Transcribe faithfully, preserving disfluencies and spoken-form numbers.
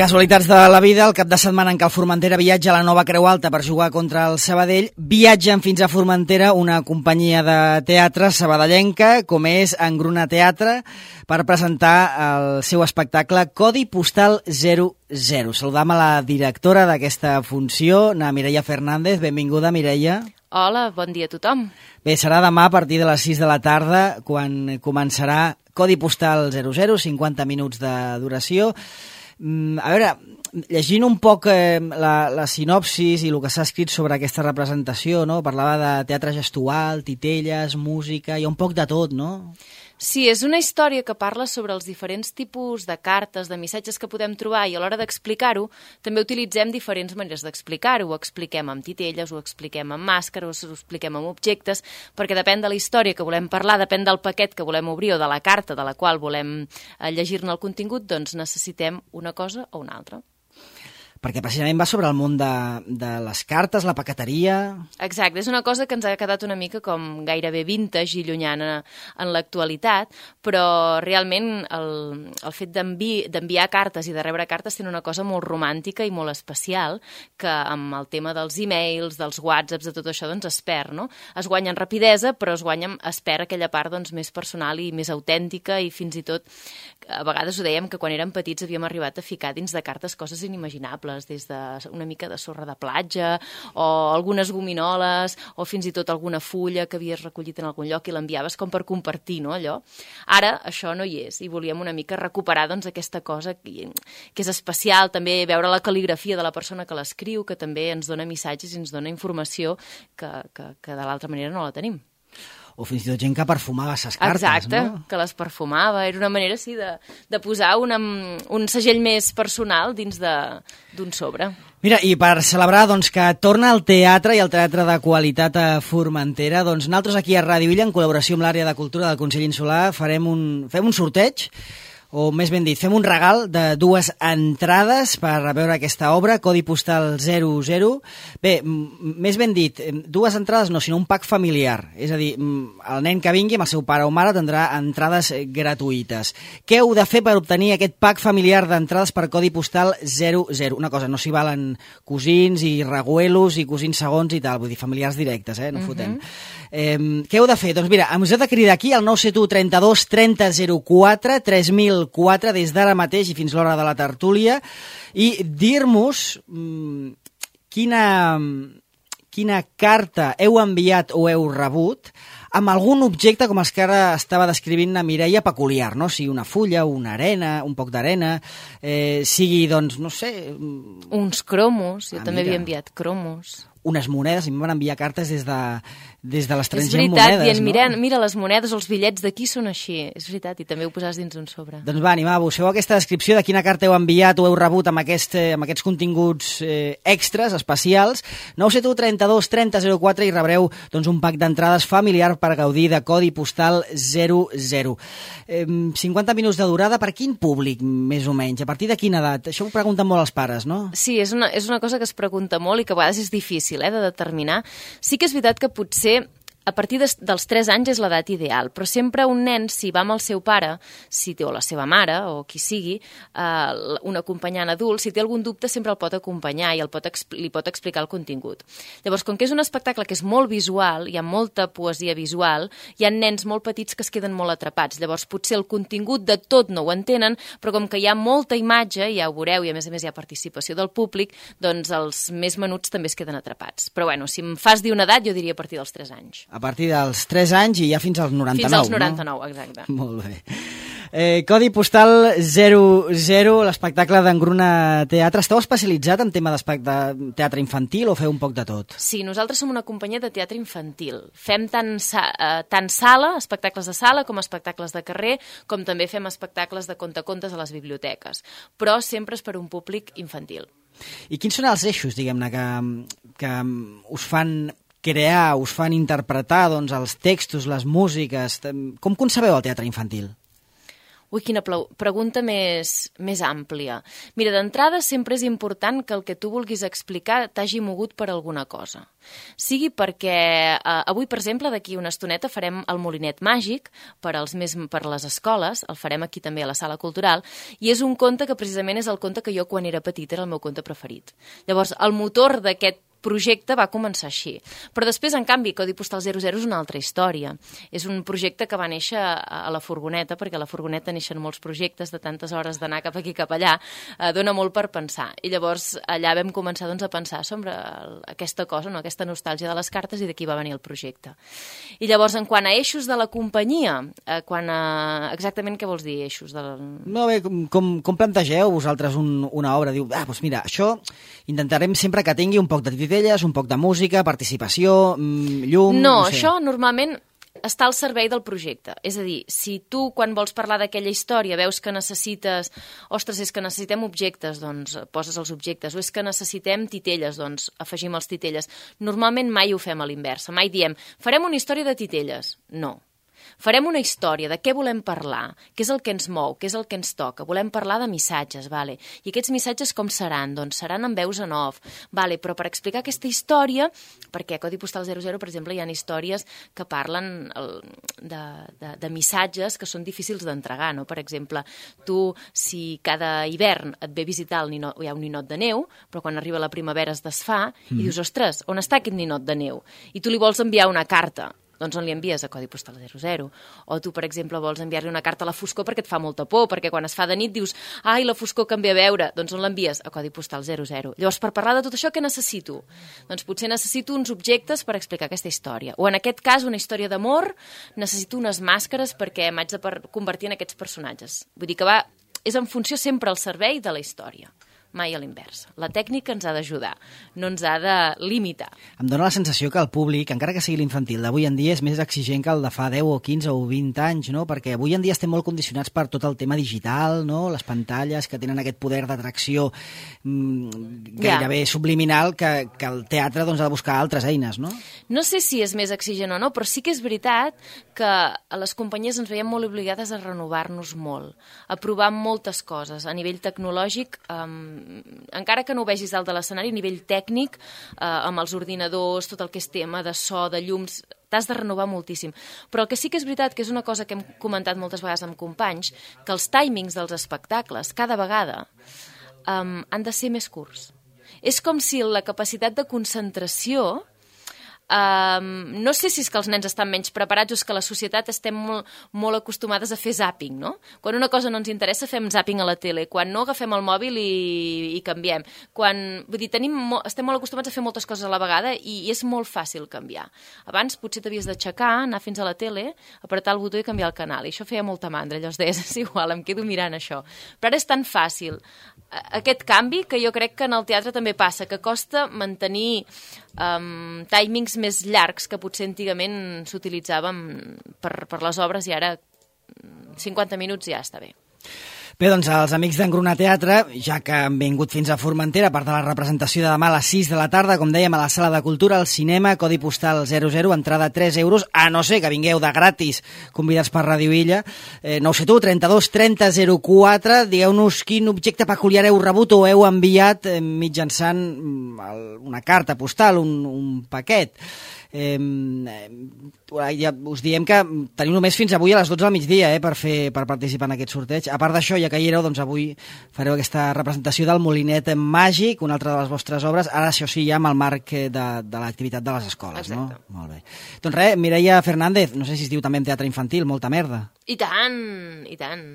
Casualitats de la vida, el cap de setmana en què el Formentera viatja a la Nova Creu Alta per jugar contra el Sabadell, viatgen fins a Formentera una companyia de teatre sabadellenca, com és Engruna Teatre, per presentar el seu espectacle Codi Postal zero zero. Saludam a la directora d'aquesta funció, na Mireia Fernández. Benvinguda, Mireia. Hola, bon dia a tothom. Bé, serà demà a partir de les sis de la tarda, quan començarà Codi Postal zero zero, cinquanta minuts de duració. A veure, llegint un poc eh, la, la sinopsis i el que s'ha escrit sobre aquesta representació, no? Parlava de teatre gestual, titelles, música, hi ha un poc de tot, no? Sí, és una història que parla sobre els diferents tipus de cartes, de missatges que podem trobar, i a l'hora d'explicar-ho també utilitzem diferents maneres d'explicar-ho. Ho expliquem amb titelles, ho expliquem amb màscares, ho expliquem amb objectes, perquè depèn de la història que volem parlar, depèn del paquet que volem obrir o de la carta de la qual volem llegir-ne el contingut, doncs necessitem una cosa o una altra. Perquè precisament va sobre el món de, de les cartes, la paqueteria... Exacte, és una cosa que ens ha quedat una mica com gairebé vintage i llunyana en l'actualitat, però realment el, el fet d'enviar cartes i de rebre cartes té una cosa molt romàntica i molt especial, que amb el tema dels e-mails, dels whatsapps, de tot això, doncs es perd, no? Es guanya en rapidesa, però es guanya, es perd aquella part doncs, més personal i més autèntica, i fins i tot, a vegades ho dèiem, que quan érem petits havíem arribat a ficar dins de cartes coses inimaginables, des d'una mica de sorra de platja o algunes gominoles o fins i tot alguna fulla que havies recollit en algun lloc i l'enviaves com per compartir, no, allò. Ara això no hi és i volíem una mica recuperar doncs, aquesta cosa que, que és especial, també veure la cal·ligrafia de la persona que l'escriu, que també ens dona missatges i ens dona informació que, que, que de l'altra manera no la tenim. O fins i tot gent que perfumava les cartes, Exacte, no? que les perfumava. Era una manera, sí, de, de posar una, un segell més personal dins d'un sobre. Mira, i per celebrar doncs, que torna al teatre i el teatre de qualitat a Formentera, doncs nosaltres aquí a Ràdio Illa, en col·laboració amb l'àrea de cultura del Consell Insular, farem un, fem un sorteig, o més ben dit, fem un regal de dues entrades per veure aquesta obra, Codi Postal zero zero. Bé, més ben dit, dues entrades no, sinó un pack familiar. És a dir, el nen que vingui amb el seu pare o mare tindrà entrades gratuïtes. Què heu de fer per obtenir aquest pack familiar d'entrades per Codi Postal zero zero? Una cosa, no s'hi valen cosins i reguelos i cosins segons i tal, vull dir, familiars directes, eh? No fotem. Uh-huh. eh, què heu de fer? Doncs mira, us heu de cridar aquí al nou set u trenta-dos trenta zero quatre, tres mil quatre des d'ara mateix i fins l'hora de la tertúlia i dir-nos mmm, quina, quina carta heu enviat o heu rebut amb algun objecte com els que ara estava descrivint la Mireia peculiar, no? Sigui una fulla, una arena, un poc d'arena, eh, sigui, doncs, no sé... Uns cromos, jo ah, també mira. havia enviat cromos. Unes monedes, i em van enviar cartes des de, des de l'estranger és veritat, monedes, dient, no? mira, mira, les monedes o els bitllets d'aquí són així. És veritat, i també ho posaves dins un sobre. Doncs va, animar, busqueu aquesta descripció de quina carta heu enviat o heu rebut amb, aquest, amb aquests continguts eh, extras, especials. nou set u trenta-dos trenta zero quatre i rebreu doncs, un pack d'entrades familiar per gaudir de Codi Postal zero zero. Eh, cinquanta minuts de durada, per quin públic, més o menys? A partir de quina edat? Això ho pregunten molt els pares, no? Sí, és una, és una cosa que es pregunta molt i que a vegades és difícil eh, de determinar. Sí que és veritat que potser a partir de, dels tres anys és l'edat ideal, però sempre un nen, si va amb el seu pare, si té o la seva mare, o qui sigui, eh, un acompanyant adult, si té algun dubte sempre el pot acompanyar i el pot, li pot explicar el contingut. Llavors, com que és un espectacle que és molt visual, hi ha molta poesia visual, hi ha nens molt petits que es queden molt atrapats. Llavors, potser el contingut de tot no ho entenen, però com que hi ha molta imatge, ja ho veureu, i a més a més hi ha participació del públic, doncs els més menuts també es queden atrapats. Però bueno, si em fas dir una edat, jo diria a partir dels tres anys. A partir dels tres anys i ja fins als noranta-nou, Fins als noranta-nou, no? Exacte. Molt bé. Eh, Codi Postal zero zero, l'espectacle d'Engruna Teatre. Esteu especialitzat en tema de teatre infantil o feu un poc de tot? Sí, nosaltres som una companyia de teatre infantil. Fem tant, uh, tant sala, espectacles de sala, com espectacles de carrer, com també fem espectacles de contacontes a les biblioteques. Però sempre és per un públic infantil. I quins són els eixos, diguem-ne, que, que us fan crear, us fan interpretar doncs, els textos, les músiques? Com concebeu el teatre infantil? Ui, quina pregunta més, més àmplia. Mira, d'entrada sempre és important que el que tu vulguis explicar t'hagi mogut per alguna cosa. Sigui perquè eh, avui, per exemple, d'aquí una estoneta farem el Molinet Màgic per, als més, per les escoles, el farem aquí també a la Sala Cultural, i és un conte que precisament és el conte que jo quan era petita era el meu conte preferit. Llavors, el motor d'aquest projecte va començar així. Però després, en canvi, Codi Postal zero zero és una altra història. És un projecte que va néixer a la furgoneta, perquè a la furgoneta neixen molts projectes de tantes hores d'anar cap aquí cap allà, eh, dona molt per pensar. I llavors allà vam començar doncs, a pensar sobre aquesta cosa, no? Aquesta nostàlgia de les cartes, i d'aquí va venir el projecte. I llavors, en quant a eixos de la companyia, eh, quan a... exactament què vols dir, eixos? Del... No, bé, com, com plantegeu vosaltres un, una obra? Diu, ah, doncs mira, això intentarem sempre que tingui un poc de titelles, un poc de música, participació, llum... No, no sé. Això normalment està al servei del projecte. És a dir, si tu, quan vols parlar d'aquella història, veus que necessites... Ostres, és que necessitem objectes, doncs poses els objectes. O és que necessitem titelles, doncs afegim els titelles. Normalment mai ho fem a l'inversa. Mai diem, farem una història de titelles. No. Farem una història de què volem parlar, què és el que ens mou, què és el que ens toca. Volem parlar de missatges, vale? I aquests missatges com seran? Doncs seran en veus en off, vale? Però per explicar aquesta història, perquè a Codi Postal zero zero, per exemple, hi ha històries que parlen de, de, de missatges que són difícils d'entregar, no? Per exemple, tu, si cada hivern et ve visitar el ninot, hi ha un ninot de neu, però quan arriba la primavera es desfà, mm. i dius, ostres, on està aquest ninot de neu? I tu li vols enviar una carta. Doncs on li envies? A Codi Postal zero zero. O tu, per exemple, vols enviar-li una carta a la foscor perquè et fa molta por, perquè quan es fa de nit dius, ai, la foscor que em ve a veure. Doncs on l'envies? A Codi Postal zero zero. Llavors, per parlar de tot això, què necessito? Doncs potser necessito uns objectes per explicar aquesta història. O en aquest cas, una història d'amor, necessito unes màscares perquè m'haig de convertir en aquests personatges. Vull dir que va, és en funció sempre al servei de la història. Mai a l'inversa. La tècnica ens ha d'ajudar, no ens ha de limitar. Em dóna la sensació que el públic, encara que sigui l'infantil d'avui en dia, és més exigent que el de fa deu o quinze o vint anys, no? Perquè avui en dia estem molt condicionats per tot el tema digital, no? Les pantalles que tenen aquest poder d'atracció mmm, gairebé ja. subliminal que, que el teatre doncs, ha de buscar altres eines, no? No sé si és més exigent o no, però sí que és veritat que a les companyies ens veiem molt obligades a renovar-nos molt, a provar moltes coses. A nivell tecnològic, um, encara que no ho vegis dalt de l'escenari, a nivell tècnic, eh, amb els ordinadors, tot el que és tema de so, de llums, t'has de renovar moltíssim. Però el que sí que és veritat, que és una cosa que hem comentat moltes vegades amb companys, que els timings dels espectacles, cada vegada, um, han de ser més curts. És com si la capacitat de concentració... Um, no sé si és que els nens estan menys preparats o és que la societat estem molt, molt acostumades a fer zàping, no? Quan una cosa no ens interessa fem zàping a la tele, quan no agafem el mòbil i, i canviem. Quan, vull dir, tenim, estem molt acostumats a fer moltes coses a la vegada i, i és molt fàcil canviar. Abans potser t'havies d'aixecar, anar fins a la tele, apretar el botó i canviar el canal, i això feia molta mandra, llavors deies, és igual, em quedo mirant això. Però ara és tan fàcil aquest canvi que jo crec que en el teatre també passa, que costa mantenir um, timings més llargs que potser antigament s'utilitzaven per, per les obres i ara cinquanta minuts ja està bé. Bé, doncs els amics d'Engruna Teatre, ja que han vingut fins a Formentera, part de la representació de demà a les sis de la tarda, com dèiem, a la Sala de Cultura, al cinema, Codi Postal zero zero, entrada tres euros, a no ser que vingueu de gratis, convidats per Ràdio Illa. Eh, no ho sé tu, trenta-dos trenta zero quatre, digueu-nos quin objecte peculiar heu rebut o heu enviat eh, mitjançant una carta postal, un, un paquet. Eh, ja us diem que teniu només fins avui a les dotze del migdia eh, per, fer, per participar en aquest sorteig. A part d'això, ja que hi éreu, doncs avui fareu aquesta representació del Molinet Màgic, una altra de les vostres obres, ara això sí ja amb el marc de, de l'activitat de les escoles. Exacte. No? Molt bé. Doncs res, Mireia Fernández, no sé si es diu també en teatre infantil, molta merda. I tant, i tant.